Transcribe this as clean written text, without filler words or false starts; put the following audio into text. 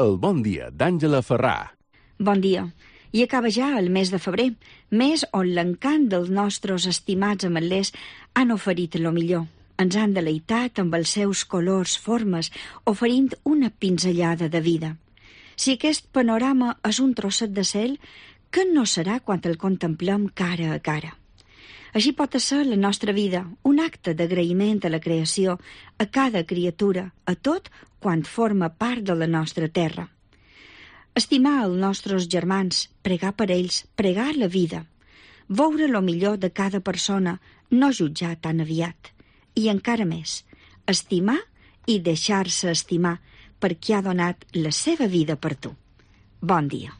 El bon dia d'Àngela Ferrà. Bon dia. I acaba ja el mes de febrer, mes on l'encant dels nostres estimats ametlers han oferit lo millor. Ens han deleitat amb els seus colors, formes, oferint una pinzellada de vida. Si aquest panorama és un trosset de cel, què no serà quan el contemplem cara a cara? Així pot ser la nostra vida, un acte d'agraïment a la creació, a cada criatura, a tot quan forma part de la nostra terra. Estimar els nostres germans, pregar per ells, pregar la vida, veure lo millor de cada persona, no jutjar tan aviat. I encara més, estimar i deixar-se estimar perquè ha donat la seva vida per tu. Bon dia.